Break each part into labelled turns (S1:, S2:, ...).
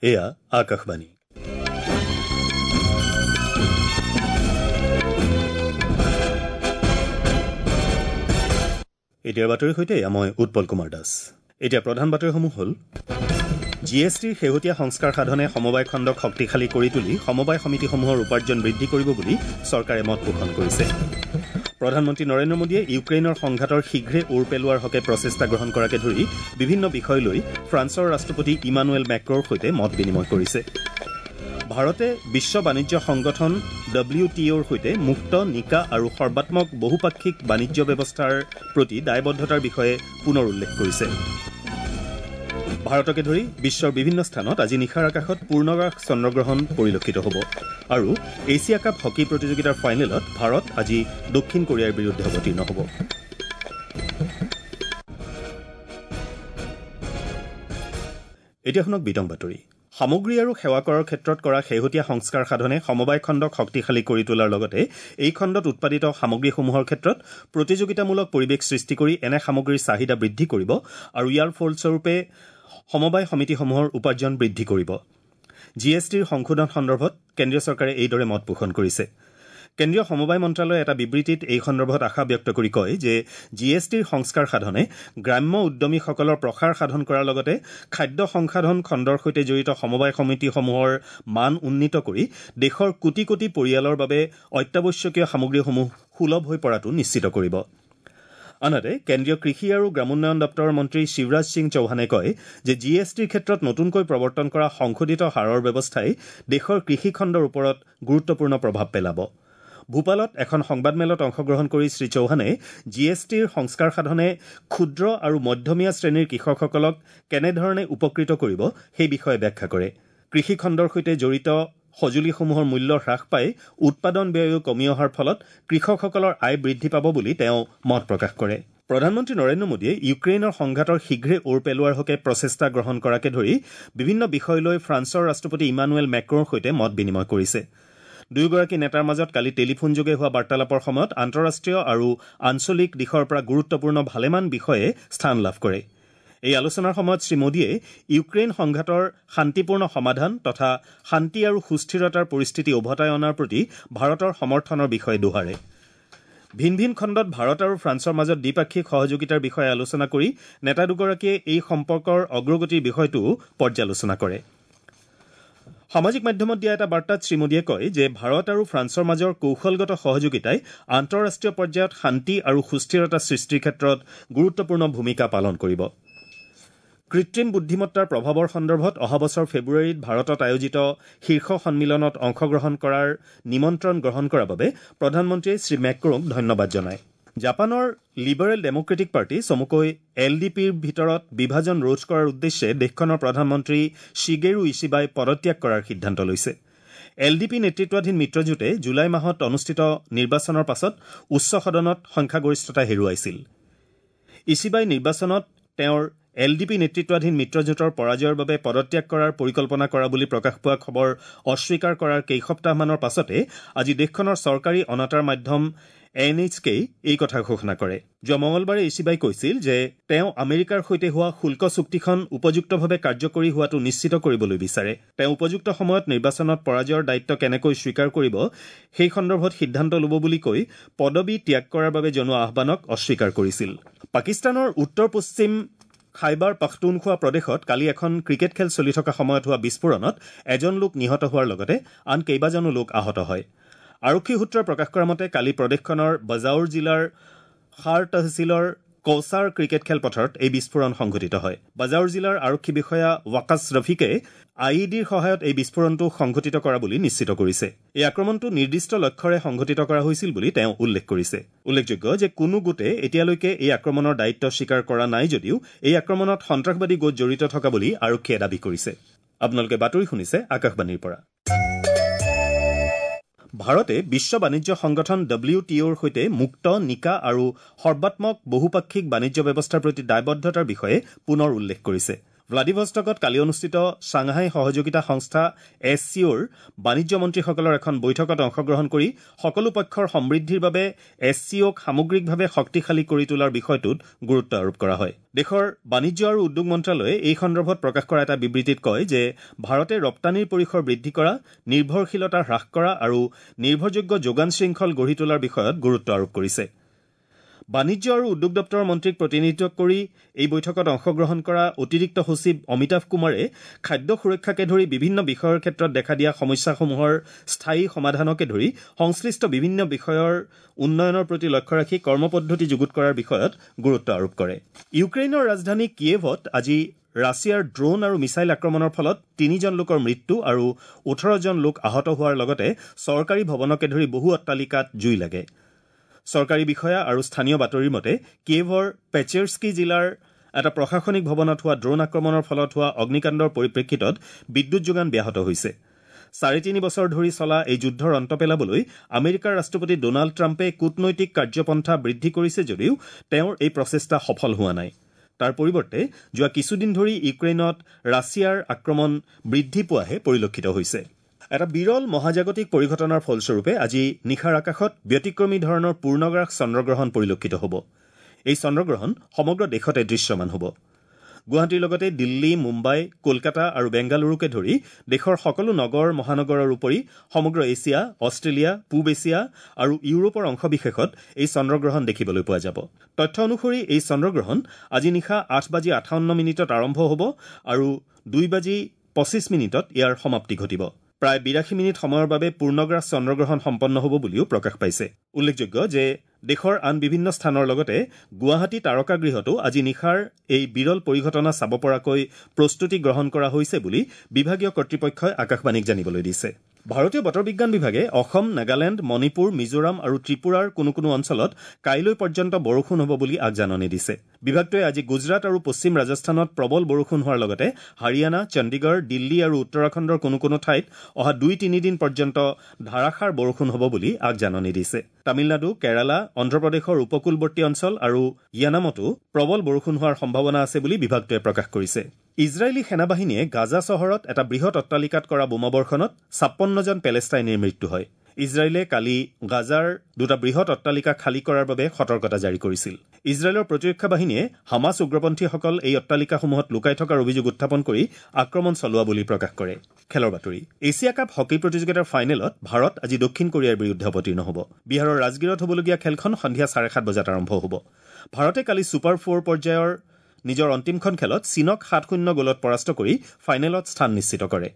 S1: এয়া আকাশবাণী। এতিয়াৰ বাতৰিৰ সৈতে মই উৎপল কুমাৰ দাস। এতিয়া প্ৰধান বাতৰিসমূহ হ'ল: জি এছ টিৰ শেহতীয়া সংস্কাৰ সাধনে সমবায় খণ্ডক শক্তিশালী কৰি তুলি সমবায় সমিতিসমূহৰ উপাৰ্জন বৃদ্ধি কৰিব বুলি চৰকাৰে মত পোষণ কৰিছে। প্ৰধানমন্ত্ৰী নৰেন্দ্ৰ মোদীয়ে ইউক্ৰেইনৰ সংঘাতৰ শীঘ্ৰে ওৰ পেলোৱাৰ হকে প্ৰচেষ্টা গ্ৰহণ কৰাকে ধৰি বিভিন্ন বিষয় লৈ ফ্ৰান্সৰ ৰাষ্ট্ৰপতি ইমানুৱেল মেক্ৰৰ সৈতে মত বিনিময় কৰিছে। ভাৰতে বিশ্ব বাণিজ্য সংগঠন ডব্লিউ টি অ'ৰ সৈতে মুক্ত, নিকা আৰু সৰ্বাত্মক বহুপাক্ষিক বাণিজ্য ব্যৱস্থাৰ প্ৰতি দায়বদ্ধতাৰ বিষয়ে পুনৰ উল্লেখ কৰিছে। ভাৰতকে ধৰি বিশ্বৰ বিভিন্ন স্থানত আজি নিশাৰ আকাশত পূৰ্ণগ্ৰাস চন্দ্ৰগ্ৰহণ পৰিলক্ষিত হ'ব। আৰু এছিয়া কাপ হকী প্ৰতিযোগিতাৰ ফাইনেলত ভাৰত আজি দক্ষিণ কোৰিয়াৰ বিৰুদ্ধে অৱতীৰ্ণ হ'ব। এতিয়া শুনক বিতং বাতৰি। সামগ্ৰী আৰু সেৱা কৰৰ ক্ষেত্ৰত কৰা শেহতীয়া সংস্কাৰ সাধনে সমবায় খণ্ডক শক্তিশালী কৰি তোলাৰ লগতে এই খণ্ডত উৎপাদিত সামগ্ৰীসমূহৰ ক্ষেত্ৰত প্ৰতিযোগিতামূলক পৰিৱেশ সৃষ্টি কৰি এনে সামগ্ৰীৰ চাহিদা বৃদ্ধি কৰিব আৰু ইয়াৰ ফলস্বৰূপে সমবায় সমিতিসমূহৰ উপাৰ্জন বৃদ্ধি কৰিব। জি এছ টিৰ সংশোধন সন্দৰ্ভত কেন্দ্ৰীয় চৰকাৰে এইদৰে মত পোষণ কৰিছে। কেন্দ্ৰীয় সমবায় মন্ত্ৰালয়ে এটা বিবৃতিত এই সন্দৰ্ভত আশা ব্যক্ত কৰি কয় যে জি এছ টিৰ সংস্কাৰ সাধনে গ্ৰাম্য উদ্যমীসকলৰ প্ৰসাৰ সাধন কৰাৰ লগতে খাদ্য সংসাধন খণ্ডৰ সৈতে জড়িত সমবায় সমিতিসমূহৰ মান উন্নীত কৰি দেশৰ কোটি কোটি পৰিয়ালৰ বাবে অত্যাৱশ্যকীয় সামগ্ৰীসমূহ সুলভ হৈ পৰাটো নিশ্চিত কৰিব। আনহাতে কেন্দ্ৰীয় কৃষি আৰু গ্ৰামোন্নয়ন দপ্তৰৰ মন্ত্ৰী শিৱৰাজ সিং চৌহানে কয় যে জি এছ টিৰ ক্ষেত্ৰত নতুনকৈ প্ৰৱৰ্তন কৰা সংশোধিত হাৰৰ ব্যৱস্থাই দেশৰ কৃষি খণ্ডৰ ওপৰত গুৰুত্বপূৰ্ণ প্ৰভাৱ পেলাব। ভূপালত এখন সংবাদমেলত অংশগ্ৰহণ কৰি শ্ৰী চৌহানে জি এছ টিৰ সংস্কাৰ সাধনে ক্ষুদ্ৰ আৰু মধ্যমীয়া শ্ৰেণীৰ কৃষকসকলক কেনেধৰণে উপকৃত কৰিব সেই বিষয়ে ব্যাখ্যা কৰে। কৃষি খণ্ডৰ সৈতে জড়িত সঁজুলিসমূহৰ মূল্য হ্ৰাস পাই উৎপাদন ব্যয়ো কমি অহাৰ ফলত কৃষকসকলৰ আয় বৃদ্ধি পাব বুলি তেওঁ মত প্ৰকাশ কৰে। প্ৰধানমন্ত্ৰী নৰেন্দ্ৰ মোদীয়ে ইউক্ৰেইনৰ সংঘাতৰ শীঘ্ৰে ওৰ পেলোৱাৰ হকে প্ৰচেষ্টা গ্ৰহণ কৰাকে ধৰি বিভিন্ন বিষয় লৈ ফ্ৰান্সৰ ৰাষ্ট্ৰপতি ইমানুৱেল মেক্ৰৰ সৈতে মত বিনিময় কৰিছে। দুয়োগৰাকী নেতাৰ মাজত কালি টেলিফোনযোগে হোৱা বাৰ্তালাপৰ সময়ত আন্তঃৰাষ্ট্ৰীয় আৰু আঞ্চলিক দিশৰ পৰা গুৰুত্বপূৰ্ণ ভালেমান বিষয়ে স্থান লাভ কৰে। এই আলোচনাৰ সময়ত শ্ৰী মোদীয়ে ইউক্ৰেইন সংঘাতৰ শান্তিপূৰ্ণ সমাধান তথা শান্তি আৰু সুস্থিৰতাৰ পৰিস্থিতি উভতাই অনাৰ প্ৰতি ভাৰতৰ সমৰ্থনৰ বিষয়ে দোহাৰে। ভিন ভিন খণ্ডত ভাৰত আৰু ফ্ৰান্সৰ মাজত দ্বিপাক্ষিক সহযোগিতাৰ বিষয়ে আলোচনা কৰি নেতা দুগৰাকীয়ে এই সম্পৰ্কৰ অগ্ৰগতিৰ বিষয়টোও পৰ্যালোচনা কৰে। সামাজিক মাধ্যমত দিয়া এটা বাৰ্তাত শ্ৰী মোদীয়ে কয় যে ভাৰত আৰু ফ্ৰান্সৰ মাজৰ কৌশলগত সহযোগিতাই আন্তঃৰাষ্ট্ৰীয় পৰ্যায়ত শান্তি আৰু সুস্থিৰতা সৃষ্টিৰ ক্ষেত্ৰত গুৰুত্বপূৰ্ণ ভূমিকা পালন কৰিব। কৃত্ৰিম বুদ্ধিমত্তাৰ প্ৰভাৱৰ সন্দৰ্ভত অহা বছৰ ফেব্ৰুৱাৰীত ভাৰতত আয়োজিত শীৰ্ষ সন্মিলনত অংশগ্ৰহণ কৰাৰ নিমন্ত্ৰণ গ্ৰহণ কৰাৰ বাবে প্ৰধানমন্ত্ৰীয়ে শ্ৰী মেক্ৰ'ক ধন্যবাদ জনায়। জাপানৰ লিবাৰেল ডেম'ক্ৰেটিক পাৰ্টি চমুকৈ এল ডি পিৰ ভিতৰত বিভাজন ৰোধ কৰাৰ উদ্দেশ্যে দেশখনৰ প্ৰধানমন্ত্ৰী শিগেৰু ইছিবাই পদত্যাগ কৰাৰ সিদ্ধান্ত লৈছে। এল ডি পি নেতৃত্বাধীন মিত্ৰজোঁটে জুলাই মাহত অনুষ্ঠিত নিৰ্বাচনৰ পাছত উচ্চ সদনত সংখ্যাগৰিষ্ঠতা হেৰুৱাইছিল। ইছিবাই নিৰ্বাচনত তেওঁৰ এল ডি পি নেতৃত্বাধীন মিত্ৰজোঁটৰ পৰাজয়ৰ বাবে পদত্যাগ কৰাৰ পৰিকল্পনা কৰা বুলি প্ৰকাশ পোৱা খবৰ অস্বীকাৰ কৰাৰ কেইসপ্তাহমানৰ পাছতে আজি দেশখনৰ চৰকাৰী অনাতাঁৰ মাধ্যম এন এইচ কেই এই কথা ঘোষণা কৰে। যোৱা মঙলবাৰে ইছিবাই কৈছিল যে তেওঁ আমেৰিকাৰ সৈতে হোৱা শুল্ক চুক্তিখন উপযুক্তভাৱে কাৰ্যকৰী হোৱাটো নিশ্চিত কৰিবলৈ বিচাৰে। তেওঁ উপযুক্ত সময়ত নিৰ্বাচনত পৰাজয়ৰ দায়িত্ব কেনেকৈ স্বীকাৰ কৰিব সেই সন্দৰ্ভত সিদ্ধান্ত ল'ব বুলি কৈ পদবী ত্যাগ কৰাৰ বাবে জনোৱা আহ্বানক অস্বীকাৰ কৰিছিল। পাকিস্তানৰ উত্তৰ পশ্চিম খাইবাৰ পাখতুনখোৱা প্ৰদেশত কালি এখন ক্ৰিকেট খেল চলি থকা সময়ত হোৱা বিস্ফোৰণত এজন লোক নিহত হোৱাৰ লগতে আন কেইবাজনো লোক আহত হয়। আৰক্ষী সূত্ৰই প্ৰকাশ কৰা মতে কালি প্ৰদেশখনৰ বজাউৰ জিলাৰ খাৰ তহচিলৰ কৌচাৰ ক্ৰিকেট খেলপথাৰত এই বিস্ফোৰণ সংঘটিত হয়। বজাউৰ জিলাৰ আৰক্ষী বিষয়া ৱাকাছ ৰফিকে I E ডিৰ সহায়ত এই বিস্ফোৰণটো সংঘটিত কৰা বুলি নিশ্চিত কৰিছে। এই আক্ৰমণটো নিৰ্দিষ্ট লক্ষ্যৰে সংঘটিত কৰা হৈছিল বুলি তেওঁ উল্লেখ কৰিছে। উল্লেখযোগ্য যে কোনো গোটে এতিয়ালৈকে এই আক্ৰমণৰ দায়িত্ব স্বীকাৰ কৰা নাই যদিও এই আক্ৰমণত সন্ত্ৰাসবাদী গোট জড়িত থকা বুলি আৰক্ষীয়ে দাবী কৰিছে। আপোনালোকে বাতৰি শুনিছে আকাশবাণীৰ পৰা। ভাৰতে বিশ্ব বাণিজ্য সংগঠন ডব্লিউ টি অ'ৰ সৈতে মুক্ত, নিকা আৰু সৰ্বাত্মক বহুপাক্ষিক বাণিজ্য ব্যৱস্থাৰ প্ৰতি দায়বদ্ধতাৰ বিষয়ে পুনৰ উল্লেখ কৰিছে। ভ্লাডিভষ্টকত কালি অনুষ্ঠিত ছাংহাই সহযোগিতা সংস্থা এছ চি অ'ৰ বাণিজ্য মন্ত্ৰীসকলৰ এখন বৈঠকত অংশগ্ৰহণ কৰি সকলো পক্ষৰ সমৃদ্ধিৰ বাবে এছ চি অ'ক সামগ্ৰিকভাৱে শক্তিশালী কৰি তোলাৰ বিষয়টোত গুৰুত্ব আৰোপ কৰা হয়। দেশৰ বাণিজ্য আৰু উদ্যোগ মন্ত্ৰালয়ে এই সন্দৰ্ভত প্ৰকাশ কৰা এটা বিবৃতিত কয় যে ভাৰতে ৰপ্তানিৰ পৰিসৰ বৃদ্ধি কৰা, নিৰ্ভৰশীলতা হ্ৰাস কৰা আৰু নিৰ্ভৰযোগ্য যোগান শৃংখল গঢ়ি তোলাৰ বিষয়ত গুৰুত্ব আৰোপ কৰিছে। বাণিজ্য আৰু উদ্যোগ দপ্তৰৰ মন্ত্ৰীক প্ৰতিনিধিত্ব কৰি এই বৈঠকত অংশগ্ৰহণ কৰা অতিৰিক্ত সচিব অমিতাভ কুমাৰে খাদ্য সুৰক্ষাকে ধৰি বিভিন্ন বিষয়ৰ ক্ষেত্ৰত দেখা দিয়া সমস্যাসমূহৰ স্থায়ী সমাধানকে ধৰি সংশ্লিষ্ট বিভিন্ন বিষয়ৰ উন্নয়নৰ প্ৰতি লক্ষ্য ৰাখি কৰ্মপদ্ধতি যুগুত কৰাৰ বিষয়ত গুৰুত্ব আৰোপ কৰে। ইউক্ৰেইনৰ ৰাজধানী কিয়েভত আজি ৰাছিয়াৰ ড্ৰোন আৰু মিছাইল আক্ৰমণৰ ফলত ৩জন লোকৰ মৃত্যু আৰু ১৮জন লোক আহত হোৱাৰ লগতে চৰকাৰী ভৱনকে ধৰি বহু অট্টালিকাত জুই লাগে। চৰকাৰী বিষয়া আৰু স্থানীয় বাতৰিৰ মতে কিয়েভৰ পেচেৰ্স্কি জিলাৰ এটা প্ৰশাসনিক ভৱনত হোৱা ড্ৰোন আক্ৰমণৰ ফলত হোৱা অগ্নিকাণ্ডৰ পৰিপ্ৰেক্ষিতত বিদ্যুৎ যোগান ব্যাহত হৈছে। ৩.৫ বছৰ ধৰি চলা এই যুদ্ধৰ অন্ত পেলাবলৈ আমেৰিকাৰ ৰাষ্ট্ৰপতি ডোনাল্ড ট্ৰাম্পে কূটনৈতিক কাৰ্যপন্থা বৃদ্ধি কৰিছে যদিও তেওঁৰ এই প্ৰচেষ্টা সফল হোৱা নাই। তাৰ পৰিৱৰ্তে যোৱা কিছুদিন ধৰি ইউক্ৰেইনত ৰাছিয়াৰ আক্ৰমণ বৃদ্ধি পোৱাহে পৰিলক্ষিত হৈছে। এটা বিৰল মহাজাগতিক পৰিঘটনাৰ ফলস্বৰূপে আজি নিশাৰ আকাশত ব্যতিক্ৰমী ধৰণৰ পূৰ্ণগ্ৰাস চন্দ্ৰগ্ৰহণ পৰিলক্ষিত হ'ব। এই চন্দ্ৰগ্ৰহণ সমগ্ৰ দেশতে দৃশ্যমান হ'ব। গুৱাহাটীৰ লগতে দিল্লী, মুম্বাই, কলকাতা আৰু বেংগালুৰুকে ধৰি দেশৰ সকলো নগৰ মহানগৰৰ উপৰি সমগ্ৰ এছিয়া, অষ্ট্ৰেলিয়া, পূব এছিয়া আৰু ইউৰোপৰ অংশবিশেষত এই চন্দ্ৰগ্ৰহণ দেখিবলৈ পোৱা যাব। তথ্য অনুসৰি এই চন্দ্ৰগ্ৰহণ আজি নিশা ৮:৫৮ আৰম্ভ হ'ব আৰু ২:২৫ ইয়াৰ সমাপ্তি ঘটিব। প্ৰায় ৮২ মিনিট সময়ৰ বাবে পূৰ্ণগ্ৰাস চন্দ্ৰগ্ৰহণ সম্পন্ন হ'ব বুলিও প্ৰকাশ পাইছে। উল্লেখযোগ্য যে দেশৰ আন বিভিন্ন স্থানৰ লগতে গুৱাহাটী তাৰকাগৃহতো আজি নিশাৰ এই বিৰল পৰিঘটনা চাব পৰাকৈ প্ৰস্তুতি গ্ৰহণ কৰা হৈছে বুলি বিভাগীয় কৰ্তৃপক্ষই আকাশবাণীক জানিবলৈ দিছে। ভাৰতীয় বতৰ বিজ্ঞান বিভাগে অসম, নাগালেণ্ড, মণিপুৰ, মিজোৰাম আৰু ত্ৰিপুৰাৰ কোনো কোনো অঞ্চলত কাইলৈ পৰ্যন্ত বৰষুণ হ'ব বুলি আগজাননী দিছে। বিভাগটোৱে আজি গুজৰাট আৰু পশ্চিম ৰাজস্থানত প্ৰবল বৰষুণ হোৱাৰ লগতে হাৰিয়ানা, চণ্ডীগড়, দিল্লী আৰু উত্তৰাখণ্ডৰ কোনো কোনো ঠাইত অহা ২-৩ দিন পৰ্যন্ত ধাৰাসাৰ বৰষুণ হ'ব বুলি আগজাননী দিছে। তামিলনাডু, কেৰালা, অন্ধ্ৰপ্ৰদেশৰ উপকূলৱৰ্তী অঞ্চল আৰু য়ানামতো প্ৰবল বৰষুণ হোৱাৰ সম্ভাৱনা আছে বুলি বিভাগটোৱে প্ৰকাশ কৰিছে। ইজৰাইলী সেনাবাহিনীয়ে গাজা চহৰত এটা বৃহৎ অট্টালিকাত কৰা বোমাবৰ্ষণত ৫৬জন পেলেষ্টাইনীৰ মৃত্যু হয়। ইজৰাইলে কালি গাজাৰ দুটা বৃহৎ অট্টালিকা খালী কৰাৰ বাবে সতৰ্কতা জাৰি কৰিছিল। ইজৰাইলৰ প্ৰতিৰক্ষা বাহিনীয়ে হামাছ উগ্ৰপন্থীসকল এই অট্টালিকাসমূহত লুকাই থকাৰ অভিযোগ উত্থাপন কৰি আক্ৰমণ চলোৱা বুলি প্ৰকাশ কৰে। খেলৰ বাতৰি। এছিয়া কাপ হকী প্ৰতিযোগিতাৰ ফাইনেলত ভাৰত আজি দক্ষিণ কোৰিয়াৰ বিৰুদ্ধে অৱতীৰ্ণ হ'ব। বিহাৰৰ ৰাজগীৰত হ'বলগীয়া খেলখন সন্ধিয়া ৭:৩০ বজাত আৰম্ভ হ'ব। ভাৰতে কালি ছুপাৰ ফ'ৰ পৰ্যায়ৰ নিজৰ অন্তিমখন খেলত চীনক ৭-০ গ'লত পৰাস্ত কৰি ফাইনেলত স্থান নিশ্চিত কৰে।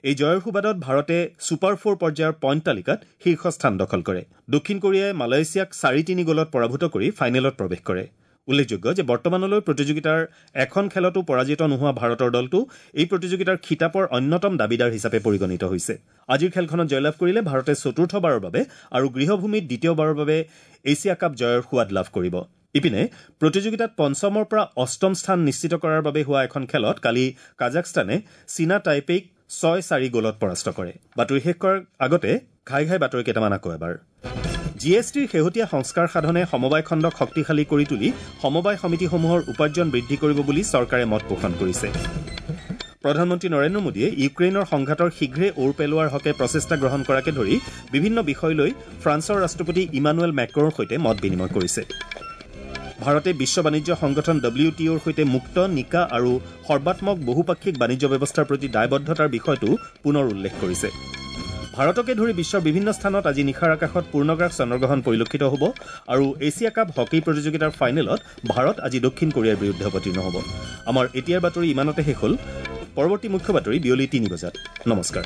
S1: এই জয়ৰ সুবাদত ভাৰতে ছুপাৰ ফ'ৰ পৰ্যায়ৰ পইণ্ট তালিকাত শীৰ্ষ স্থান দখল কৰে। দক্ষিণ কোৰিয়াই মালয়েছিয়াক ৪-৩ গ'লত পৰাভূত কৰি ফাইনেলত প্ৰৱেশ কৰে। উল্লেখযোগ্য যে বৰ্তমানলৈ প্ৰতিযোগিতাৰ এখন খেলতো পৰাজিত নোহোৱা ভাৰতৰ দলটো এই প্ৰতিযোগিতাৰ খিতাপৰ অন্যতম দাবীদাৰ হিচাপে পৰিগণিত হৈছে। আজিৰ খেলখনত জয়লাভ কৰিলে ভাৰতে চতুৰ্থবাৰৰ বাবে আৰু গৃহভূমিত দ্বিতীয়বাৰৰ বাবে এছিয়া কাপ জয়ৰ সোৱাদ লাভ কৰিব। ইপিনে প্ৰতিযোগিতাত পঞ্চমৰ পৰা অষ্টম স্থান নিশ্চিত কৰাৰ বাবে হোৱা এখন খেলত কালি কাজাখস্তানে চীনা টাইপেইক ৬-৪ গ'লত পৰাস্ত কৰে। বাতৰি শেষ কৰাৰ আগতে ঘাই ঘাই বাতৰি কেইটামান আকৌ এবাৰ। জি এছ টিৰ শেহতীয়া সংস্কাৰ সাধনে সমবায় খণ্ডক শক্তিশালী কৰি তুলি সমবায় সমিতিসমূহৰ উপাৰ্জন বৃদ্ধি কৰিব বুলি চৰকাৰে মত পোষণ কৰিছে। প্ৰধানমন্ত্ৰী নৰেন্দ্ৰ মোদীয়ে ইউক্ৰেইনৰ সংঘাতৰ শীঘ্ৰে ওৰ পেলোৱাৰ হকে প্ৰচেষ্টা গ্ৰহণ কৰাকে ধৰি বিভিন্ন বিষয় লৈ ফ্ৰান্সৰ ৰাষ্ট্ৰপতি ইমানুৱেল মেক্ৰ'ৰ সৈতে মত বিনিময় কৰিছে। ভাৰতে বিশ্ব বাণিজ্য সংগঠন ডব্লিউ টি অ'ৰ সৈতে মুক্ত, নিকা আৰু সৰ্বাত্মক বহুপাক্ষিক বাণিজ্য ব্যৱস্থাৰ প্ৰতি দায়বদ্ধতাৰ বিষয়টো পুনৰ উল্লেখ কৰিছে। ভাৰতকে ধৰি বিশ্বৰ বিভিন্ন স্থানত আজি নিশাৰ আকাশত পূৰ্ণগ্ৰাস চন্দ্ৰগ্ৰহণ পৰিলক্ষিত হ'ব আৰু এছিয়া কাপ হকী প্ৰতিযোগিতাৰ ফাইনেলত ভাৰত আজি দক্ষিণ কোৰিয়াৰ বিৰুদ্ধে অৱতীৰ্ণ হ'ব। আমাৰ এতিয়াৰ বাতৰি ইমানতে শেষ হ'ল। পৰৱৰ্তী মুখ্য বাতৰি বিয়লি ৩ বজাত। নমস্কাৰ।